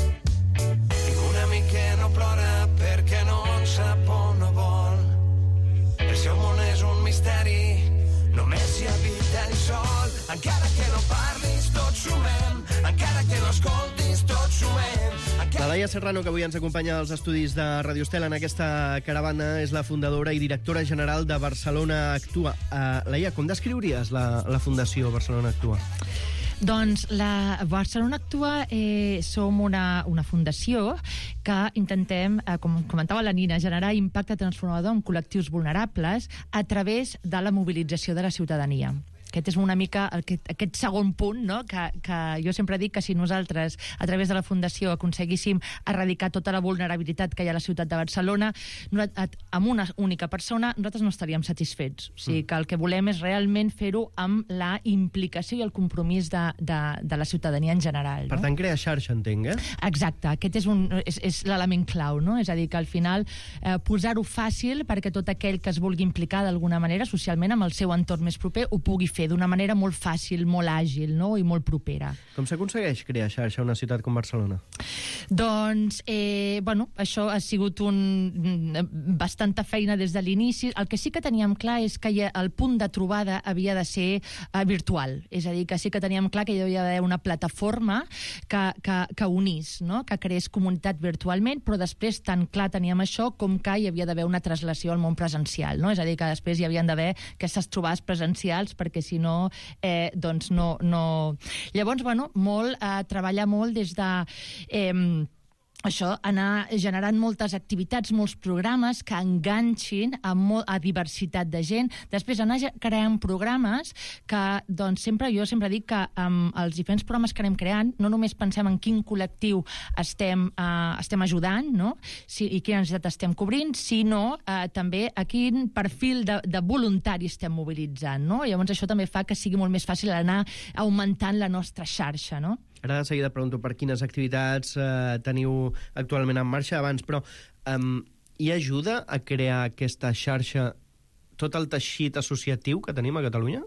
Tinc un amic que no plora perquè no en sap on no vol. El seu món és un misteri, només hi habita ell sol. Encara que no parlis, tots sumem. Laia Serrano, que avui ens acompanya als estudis de Radio Estel en aquesta caravana, és la fundadora i directora general de Barcelona Actua. Laia, com descriuries la Fundació Barcelona Actua? Doncs la Barcelona Actua som una fundació que intentem, com comentava la Nina, generar impacte transformador en col·lectius vulnerables a través de la mobilització de la ciutadania. Aquest és una mica aquest segon punt, no? que jo sempre dic que si nosaltres, a través de la Fundació, aconseguíssim erradicar tota la vulnerabilitat que hi ha a la ciutat de Barcelona, amb una única persona, nosaltres no estaríem satisfets. O sigui que el que volem és realment fer-ho amb la implicació i el compromís de la ciutadania en general. Per tant, crear xarxa, entenc, eh? Exacte, aquest és l'element clau, no? És a dir, que al final posar-ho fàcil perquè tot aquell que es vulgui implicar d'alguna manera socialment amb el seu entorn més proper ho pugui fer d'una manera molt fàcil, molt àgil, no? I molt propera. Com s'aconsegueix crear xarxa a una ciutat com Barcelona? Doncs, això ha sigut bastanta feina des de l'inici. El que sí que teníem clar és que el punt de trobada havia de ser virtual. És a dir, que sí que teníem clar que hi havia d'haver una plataforma que unís, no? Que creés comunitat virtualment, però després tan clar teníem això com que hi havia d'haver una translació al món presencial, no? És a dir, que després hi havien d'haver aquestes trobades presencials perquè si no, doncs no... Llavors, treballar molt des de... Això, anar generant moltes activitats, molts programes que enganxin a diversitat de gent. Després anar creant programes que, doncs, jo sempre dic que amb els diferents programes que anem creant no només pensem en quin col·lectiu estem ajudant, no? I quina necessitat estem cobrint, sinó també a quin perfil de voluntari estem mobilitzant, no? Llavors això també fa que sigui molt més fàcil anar augmentant la nostra xarxa, no? Ara de seguida pregunto per quines activitats teniu actualment en marxa abans, però hi ajuda a crear aquesta xarxa tot el teixit associatiu que tenim a Catalunya?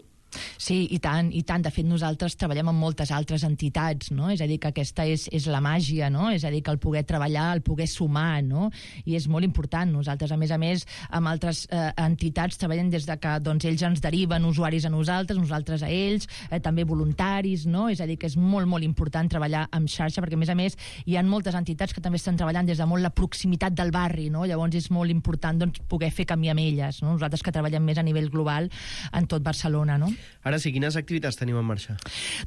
Sí, i tant, i tant. De fet, nosaltres treballem amb moltes altres entitats, no? És a dir, que aquesta és la màgia, no? És a dir, que el poder treballar, el poder sumar, no? I és molt important. Nosaltres, a més, amb altres entitats treballem des de que ells ens deriven usuaris a nosaltres a ells, també voluntaris, no? És a dir, que és molt, molt important treballar amb xarxa, perquè, a més, hi ha moltes entitats que també estan treballant des de molt la proximitat del barri, no? Llavors és molt important poder fer camí amb elles, no? Nosaltres que treballem més a nivell global en tot Barcelona, no? Ara sí, quines activitats teniu en marxa?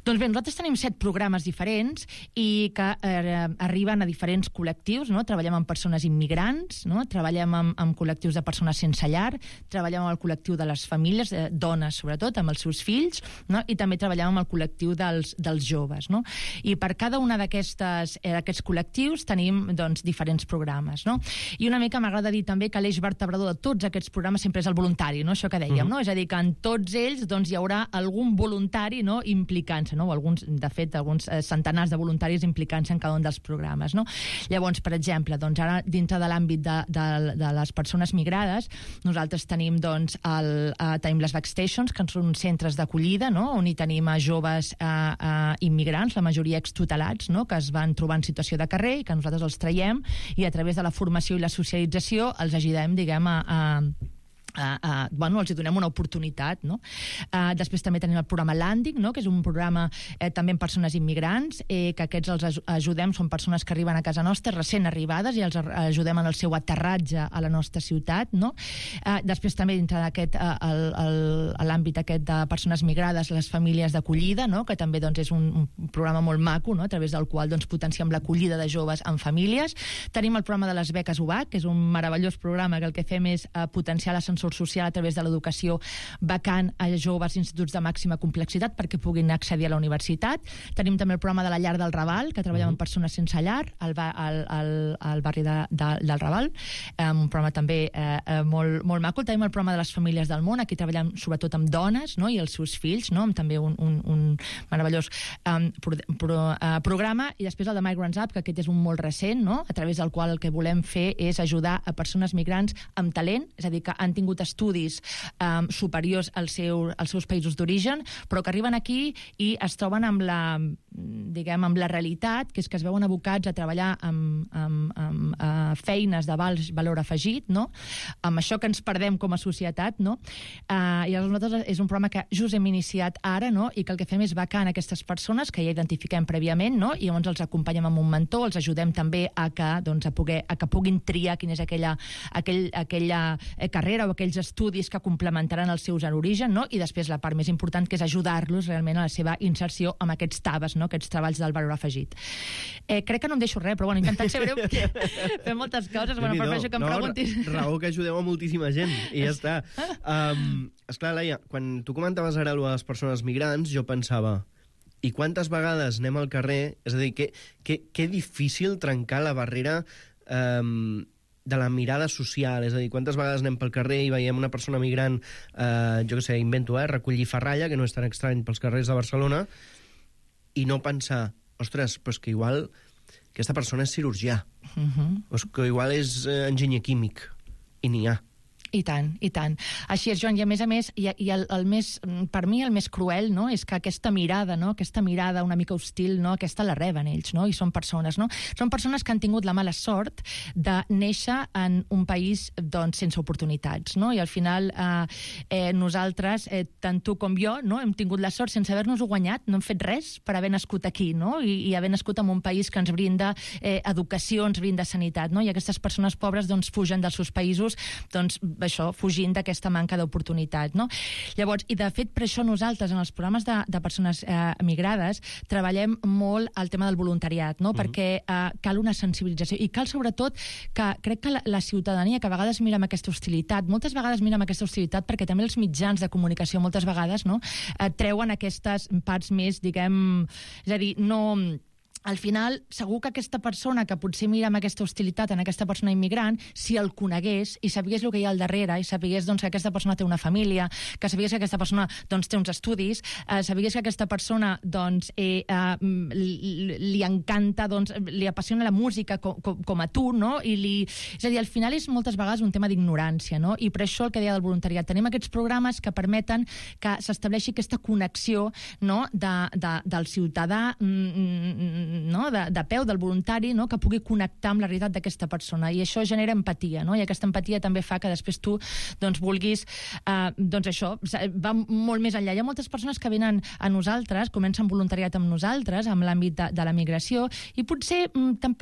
Doncs bé, nosaltres tenim 7 programes diferents i que arriben a diferents col·lectius, no? Treballem amb persones immigrants, no? Treballem amb col·lectius de persones sense llar, treballem amb el col·lectiu de les famílies, dones sobretot, amb els seus fills, no? I també treballem amb el col·lectiu dels joves, no? I per cada una d'aquests col·lectius tenim, doncs, diferents programes, no? I una mica m'agrada dir també que l'eix vertebrador de tots aquests programes sempre és el voluntari, no? Això que dèiem, no? És a dir, que en tots ells doncs, hi haurà algun voluntari, no? Implicant-se, no? Alguns centenars de voluntaris implicant-se en cada un dels programes, no? Llavors, per exemple, doncs ara dintre de l'àmbit de les persones migrades, nosaltres tenim tenim les Backstations, que són centres d'acollida, no? On hi tenim a joves immigrants, la majoria extutelats, no? Que es van trobar en situació de carrer i que nosaltres els traiem i a través de la formació i la socialització els ajudem, diguem, els hi donem una oportunitat, no? Després també tenim el programa Landing, no? Que és un programa també amb persones immigrants, que aquests els ajudem, són persones que arriben a casa nostra recent arribades i els ajudem en el seu aterratge a la nostra ciutat, no? Després també dintre d'aquest l'àmbit aquest de persones migrades, les famílies d'acollida, no? Que també doncs, és un programa molt maco, no? A través del qual doncs, potenciem l'acollida de joves en famílies. Tenim el programa de les beques UBAC, que és un meravellós programa que el que fem és potenciar l'ascensor social a través de l'educació vacant a joves instituts de màxima complexitat perquè puguin accedir a la universitat. Tenim també el programa de la llar del Raval, que treballem amb persones sense llar al barri del Raval, un programa també molt maco. Tenim el programa de les famílies del món, aquí treballem sobretot amb dones, no? I els seus fills, no? Amb també un meravellós programa. I després el de Migrants Up, que aquest és un molt recent, no? A través del qual el que volem fer és ajudar a persones migrants amb talent, és a dir, que han tingut tingut estudis superiors als seus països d'origen, però que arriben aquí i es troben amb la realitat, que és que es veuen abocats a treballar amb feines de valor afegit, no? Amb això que ens perdem com a societat, no? I nosaltres és un programa que just hem iniciat ara, no? I que el que fem és becar en aquestes persones que ja identifiquem prèviament, no? I llavors els acompanyem amb un mentor, els ajudem també a que puguin triar quina és aquella carrera o aquells estudis que complementaran els seus origen, no? I després la part més important, que és ajudar-los realment a la seva inserció amb aquests TABs, no? Aquests treballs del valor afegit. Crec que no em deixo res, però bueno, intentant ser breu, fem moltes coses, bueno, per això que em preguntis. Raó que ajudeu a moltíssima gent, i ja està. Esclar, Laia, quan tu comentaves ara a les persones migrants, jo pensava, i quantes vegades anem al carrer, és a dir, que difícil trencar la barrera de la mirada social, és a dir, quantes vegades anem pel carrer i veiem una persona migrant, jo què sé, invento, recollir ferralla, que no és tan estrany pels carrers de Barcelona, i no pensar, ostres, però és que igual aquesta persona és cirurgià, o és que igual és enginyer químic, i n'hi ha. I tant, i tant. Així és, Joan, i a més, el més, per mi el més cruel, no?, és que aquesta mirada, no?, aquesta mirada una mica hostil, no?, aquesta la reben ells, no?, i són persones, no? Són persones que han tingut la mala sort de néixer en un país, doncs, sense oportunitats, no?, i al final nosaltres, tant tu com jo, no?, hem tingut la sort sense haver-nos-ho guanyat, no hem fet res per haver nascut aquí, no?, i haver nascut en un país que ens brinda educació, ens brinda sanitat, no?, i aquestes persones pobres, doncs, fugen dels seus països, doncs, això, fugint d'aquesta manca d'oportunitat, no? Llavors, i de fet, per això nosaltres, en els programes de persones migrades, treballem molt el tema del voluntariat, no? Perquè cal una sensibilització, i cal sobretot que crec que la ciutadania, que a vegades mira amb aquesta hostilitat, moltes vegades mira amb aquesta hostilitat perquè també els mitjans de comunicació moltes vegades, no?, treuen aquestes parts més, diguem, és a dir, no... Al final, segur que aquesta persona que potser mira amb aquesta hostilitat en aquesta persona immigrant, si el conegués i sabigués el que hi ha al darrere, i sabigués, doncs, que aquesta persona té una família, que sabigués que aquesta persona, doncs, té uns estudis, sabigués que aquesta persona, doncs, li encanta, doncs, li apassiona la música com a tu, no? És a dir, al final és moltes vegades un tema d'ignorància, no? I per això el que deia del voluntariat. Tenim aquests programes que permeten que s'estableixi aquesta connexió, no?, del ciutadà, no? de peu, del voluntari, no? Que pugui connectar amb la realitat d'aquesta persona, i això genera empatia, no? I aquesta empatia també fa que després tu, doncs, vulguis, doncs això, va molt més enllà. Hi ha moltes persones que venen a nosaltres, comencen voluntariat amb nosaltres, amb l'àmbit de la migració, i potser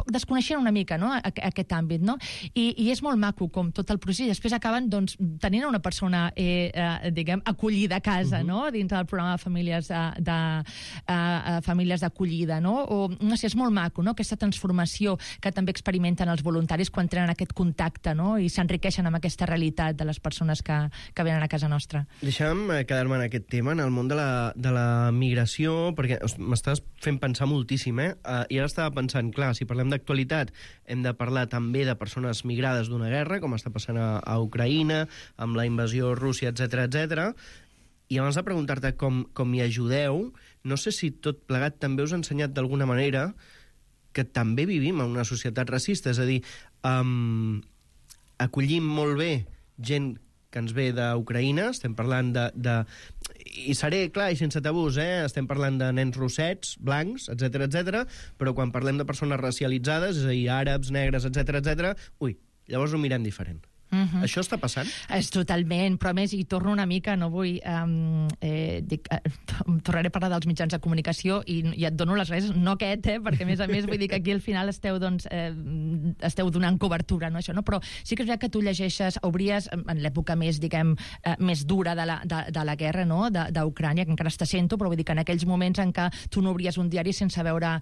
desconeixen una mica, no?, aquest àmbit, no? I és molt maco com tot el procés, i després acaben, doncs, tenint una persona, diguem, acollida a casa, no?, dins del programa de famílies d'acollida, no? O no sé, és molt maco, no?, aquesta transformació que també experimenten els voluntaris quan tenen aquest contacte, no?, i s'enriqueixen amb aquesta realitat de les persones que venen a casa nostra. Deixa'm quedar-me en aquest tema, en el món de la migració, perquè m'estàs fent pensar moltíssim, i ara estava pensant, clar, si parlem d'actualitat, hem de parlar també de persones migrades d'una guerra, com està passant a Ucraïna, amb la invasió Rússia, etc. I abans de preguntar-te com hi ajudeu, no sé si tot plegat també us ha ensenyat d'alguna manera que també vivim en una societat racista, és a dir, acollim molt bé gent que ens ve d'Ucraïna, estem parlant i seré clar i sense tabús, estem parlant de nens rossets, blancs, etc, però quan parlem de persones racialitzades, és a dir, àrabs, negres, etc, llavors ho mirem diferent. Això està passant? És totalment, però a més, hi torno una mica, no vull... tornaré a parlar dels mitjans de comunicació i et dono les gràcies, no aquest, perquè a més vull dir que aquí al final esteu donant cobertura, no, això, no? Però sí que és veritat que tu llegeixes, obries en l'època més, diguem, més dura de la guerra, no?, d'Ucrània, que encara està sent-ho, però vull dir que en aquells moments en què tu no obries un diari sense veure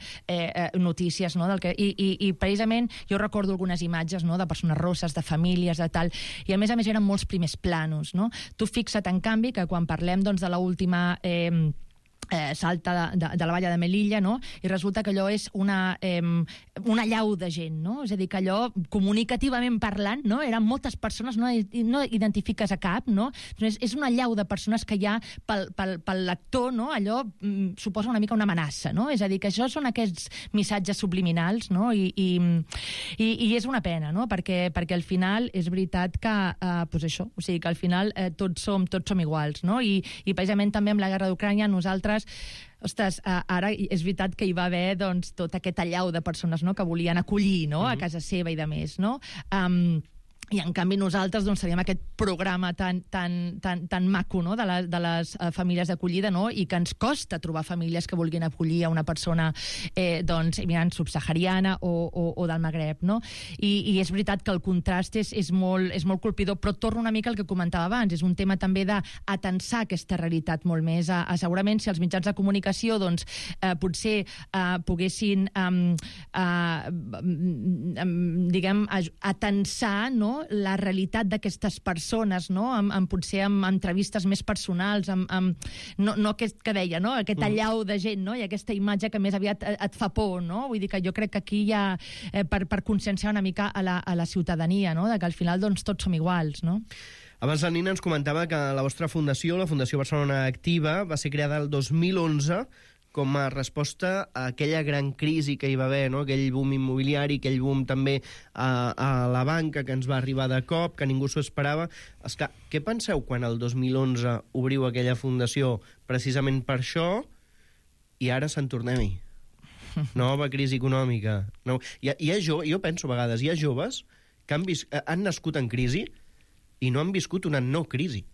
notícies, no?, i precisament jo recordo algunes imatges, no?, de persones rosses, de famílies, de tal, i a més eren molts primers planos, no? Tu fixa't, en canvi, que quan parlem, doncs, de l'última salta de la valla de Melilla, no? I resulta que allò és una llau de gent, no? És a dir, que allò, comunicativament parlant, no? Eren moltes persones, no identifiques a cap, no? És una llau de persones que ja, pel lector, no? Allò suposa una mica una amenaça, no? És a dir, que això són aquests missatges subliminals, no? I és una pena, no? Perquè al final és veritat que, doncs això, o sigui, que al final tots som iguals, no? I precisament també amb la guerra d'Ucrània nosaltres ostres, ara és veritat que hi va haver doncs, tot aquest allau de persones, no?, que volien acollir, no?, a casa seva i de més, no? I en canvi nosaltres doncs, teníem aquest programa tan maco, no?, de les famílies d'acollida, no?, i que ens costa trobar famílies que vulguin acollir a una persona doncs, immigrant subsahariana o del Magreb, no? I és veritat que el contrast és molt colpidor, però torno una mica al que comentava abans, és un tema també d'atensar aquesta realitat molt més, segurament si els mitjans de comunicació doncs, potser poguessin diguem, atensar, no?, la realitat d'aquestes persones, no? Potser amb entrevistes més personals, no aquest que deia, no? Aquest allau de gent, no? I aquesta imatge que més aviat et fa por, no? Vull dir que jo crec que aquí hi ha, per conscienciar una mica a la ciutadania, no? De que al final doncs, tots som iguals, no? Abans la Nina ens comentava que la vostra fundació, la Fundació Barcelona Activa, va ser creada el 2011 com a resposta a aquella gran crisi que hi va haver, no? Aquell boom immobiliari, aquell boom també a la banca que ens va arribar de cop, que ningú s'ho esperava. Esclar, què penseu quan el 2011 obriu aquella fundació precisament per això i ara se'n tornem-hi? Nova crisi econòmica. No. Jo penso a vegades, hi ha joves que han nascut en crisi i no han viscut una no crisi.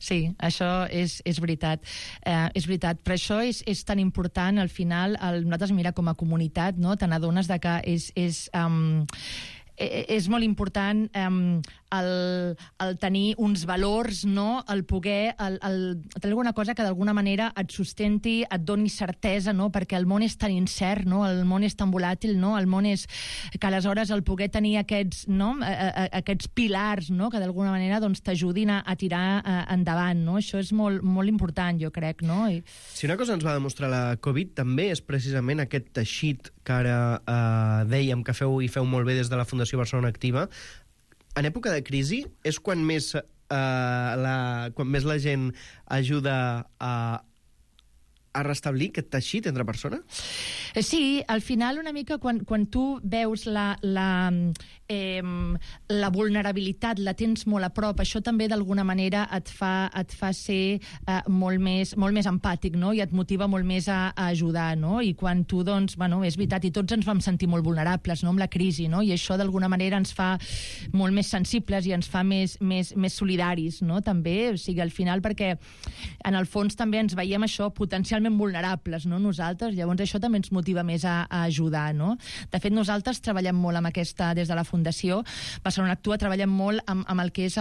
Sí, això és veritat. És veritat, però això és tan important al final, nosaltres mira com a comunitat, no? Te n'adones de que és molt important el tenir uns valors, no? El poder tenir alguna cosa que d'alguna manera et sustenti, et doni certesa, no? Perquè el món és tan incert, no? El món és tan volàtil, no? El món és que aleshores el poder tenir aquests, no? Aquests pilars, no? Que d'alguna manera doncs, t'ajudin a tirar endavant, no? Això és molt, molt important, jo crec, no? Si una cosa ens va demostrar la Covid també és precisament aquest teixit que ara dèiem que feu molt bé des de la Fundació Barcelona Activa. En època de crisi és quan més la gent ajuda a restablir aquest teixit entre persones? Sí, al final una mica quan tu veus la vulnerabilitat, la tens molt a prop, això també d'alguna manera et fa ser molt més empàtic, no? I et motiva molt més a ajudar, no? I quan tu, doncs, bueno, és veritat, i tots ens vam sentir molt vulnerables, no?, amb la crisi, no? I això d'alguna manera ens fa molt més sensibles i ens fa més solidaris, no?, també, o sigui, al final, perquè en el fons també ens veiem això potencialment vulnerables, no?, nosaltres, llavors això també ens motiva més a ajudar, no? De fet, nosaltres treballem molt amb aquesta, des de la Fundació Barcelona Actua, treballem molt amb el que és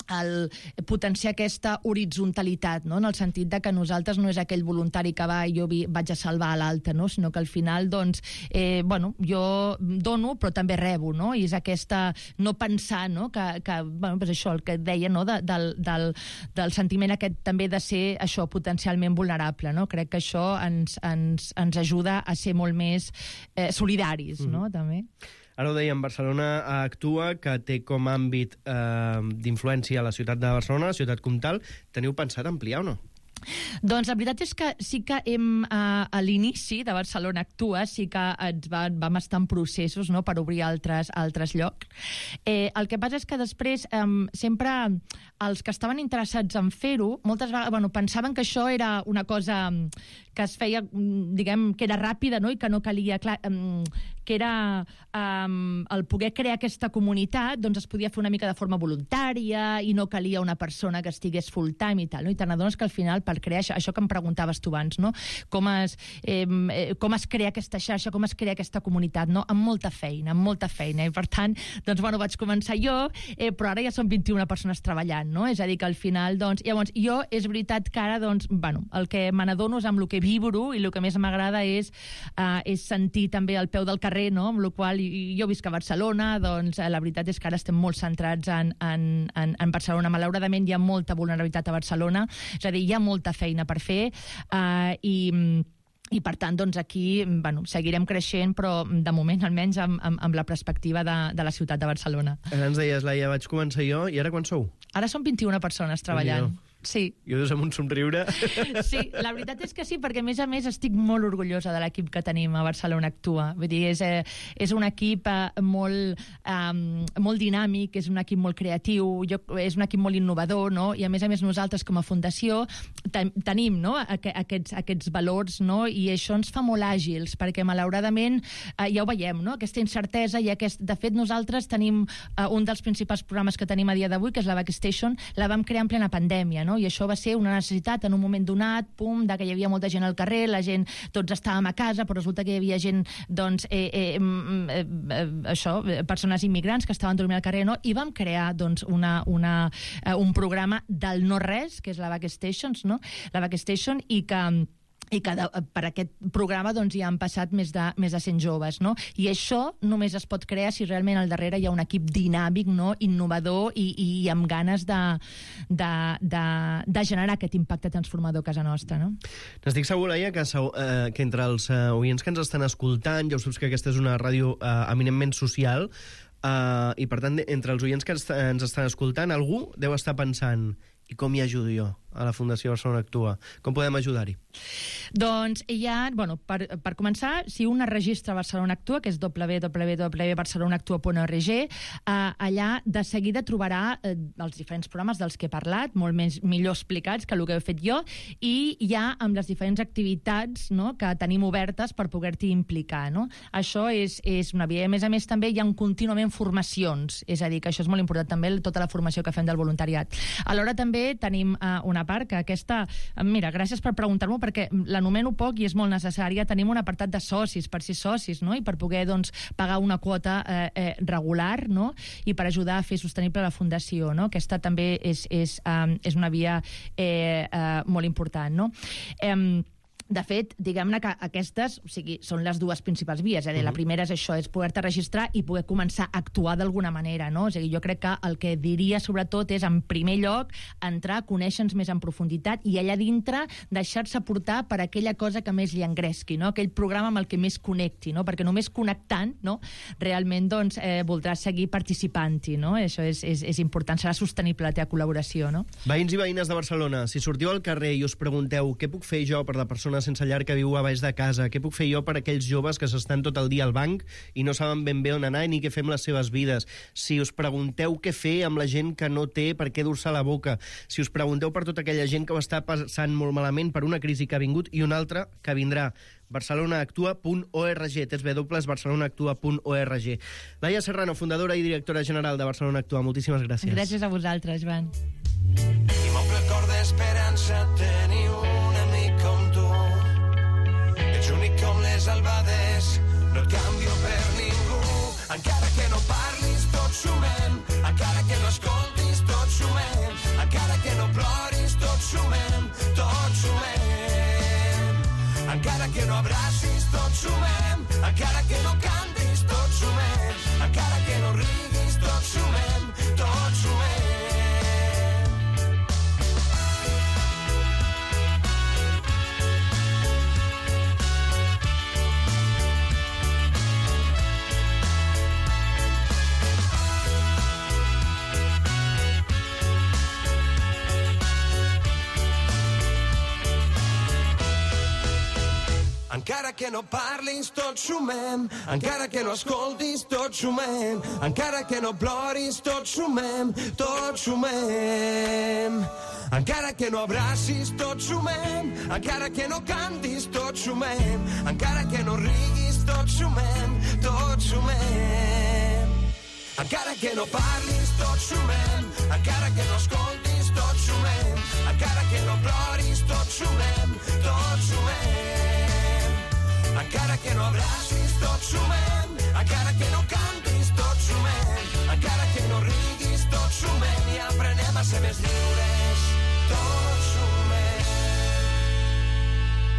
el potenciar aquesta horitzonalitat, no? En el sentit de que nosaltres no és aquell voluntari que va i jo vaig a salvar a l'altre, no? Sinó que al final, doncs, bueno, jo dono però també rebo, no? I és aquesta no pensar, no? Que bueno, pues això, el que et deia, no? Del sentiment aquest també de ser això, potencialment vulnerable, no? Crec que això ens ajuda a ser molt més solidaris, no? També. Ara ho dèiem, Barcelona Actua, que té com a àmbit d'influència a la ciutat de Barcelona, la ciutat comtal. Teniu pensat ampliar o no? Doncs la veritat és que sí que a l'inici de Barcelona Actua sí que vam estar en processos, no?, per obrir altres llocs. El que passa és que després sempre els que estaven interessats en fer-ho moltes vegades pensaven que això era una cosa que es feia, diguem, que era ràpida, no?, i que no calia, clar, que era el poder crear aquesta comunitat, doncs es podia fer una mica de forma voluntària i no calia una persona que estigués full time i tal, no? I te n'adones que al final per crear això que em preguntaves tu abans, no? Com es crea aquesta xarxa, com es crea aquesta comunitat, no? Amb molta feina, i per tant, doncs, bueno, vaig començar jo, però ara ja són 21 persones treballant, no? És a dir, que al final, doncs, llavors, jo és veritat que ara, doncs, bueno, el que me n'adono és amb el que vibro i el que més m'agrada és sentir també al peu del carrer, no? Amb la qual jo visc a Barcelona, doncs, la veritat és que ara estem molt centrats en Barcelona. Malauradament hi ha molta vulnerabilitat a Barcelona, és a dir, hi ha molta molta feina per fer i per tant, doncs aquí seguirem creixent, però de moment almenys amb la perspectiva de la ciutat de Barcelona. Ens deies, Laia, vaig començar jo, i ara quan sou? Ara som 21 persones treballant. Sí. I ho dius amb un somriure. Sí, la veritat és que sí, perquè a més estic molt orgullosa de l'equip que tenim a Barcelona Actua. Vull dir, és un equip molt dinàmic, és un equip molt creatiu, és un equip molt innovador, no? I a més nosaltres com a fundació tenim, no, aquests valors, no? I això ens fa molt àgils, perquè malauradament ja ho veiem, no? Aquesta incertesa i de fet nosaltres tenim un dels principals programes que tenim a dia d'avui, que és la Backstation, la vam crear en plena pandèmia, no? I això va ser una necessitat en un moment donat, que hi havia molta gent al carrer, la gent, tots estàvem a casa, però resulta que hi havia gent, doncs, persones immigrants que estaven dormint al carrer, no? I vam crear, doncs, un programa del no-res, que és la Backstation, no? La Backstation, i que per aquest programa doncs, ja han passat més de 100 joves, no? I això només es pot crear si realment al darrere hi ha un equip dinàmic, no? Innovador i amb ganes de generar aquest impacte transformador a casa nostra, no? N'estic segur, Laia, que entre els oients que ens estan escoltant, ja ho saps que aquesta és una ràdio eminentment social, i per tant, entre els oients que ens estan escoltant, algú deu estar pensant: i com hi ajudo jo a la Fundació Barcelona Actua? Com podem ajudar-hi? Doncs per començar, si un es registra a Barcelona Actua, que és www.barcelonaactua.org, allà de seguida trobarà els diferents programes dels que he parlat, molt millor explicats que el que he fet jo, i ja amb les diferents activitats, no, que tenim obertes per poder-t'hi implicar, no? Això és una via. A més, també hi ha contínuament formacions, és a dir, que això és molt important també, tota la formació que fem del voluntariat. Alhora també tenim una part que aquesta... Mira, gràcies per preguntar-m'ho, perquè l'anomeno poc i és molt necessària. Tenim un apartat de socis, per ser socis, no? I per poder, doncs, pagar una quota regular, no? I per ajudar a fer sostenible la fundació, no? Aquesta també és una via molt important, no? De fet, diguem-ne que aquestes, o sigui, són les dues principals vies. La primera és això, és poder-te registrar i poder començar a actuar d'alguna manera, no? O sigui, jo crec que el que diria, sobretot, és, en primer lloc, entrar, conèixer-nos més en profunditat i allà dintre deixar-se portar per aquella cosa que més li engresqui, no? Aquell programa amb el que més connecti, no? Perquè només connectant, no? Realment, doncs, voldràs seguir participant-hi, no? Això és important, serà sostenible la teva col·laboració, no? Veïns i veïnes de Barcelona, si sortiu al carrer i us pregunteu què puc fer jo per la persona sense llar que viu a baix de casa, què puc fer jo per aquells joves que s'estan tot el dia al banc i no saben ben bé on anar ni què fer amb les seves vides, si us pregunteu què fer amb la gent que no té per què dur-se a la boca, si us pregunteu per tota aquella gent que ho està passant molt malament per una crisi que ha vingut i una altra que vindrà, barcelonaactua.org, www.barcelonaactua.org. Laia Serrano, fundadora i directora general de Barcelona Actua, moltíssimes gràcies. Gràcies a vosaltres, Joan. I m'omple el cor d'esperança tenir un amic com tu. Ets únic com les albades, no et canvio per ningú. Encara que no parlis, tots sumem. Encara que no escoltis, tots sumem. Encara que no ploris, tots sumem. Tots sumem. Encara que no abracis, tots sumem. Encara que no cantis, tots sumem. Encara que no riguis, tots sumem. Tots sumem. Encara que no parlis, tots sumem. Encara que no escoltis, tots sumem. Encara que no ploris, tots sumem. Tots sumem. Encara que no abracis, tots sumem. Encara que no cantis, tots sumem. Encara que no riguis, tots sumem. Tots sumem. Encara que no parlis, tots sumem. Encara que no escoltis, tots sumem. Encara que no ploris, tots sumem. Tots sumem. Encara que no abracis, tots sumem. Encara que no cantis, tots sumem. Encara que no riguis, tots sumem. I aprenem a ser més lliures, tots sumem.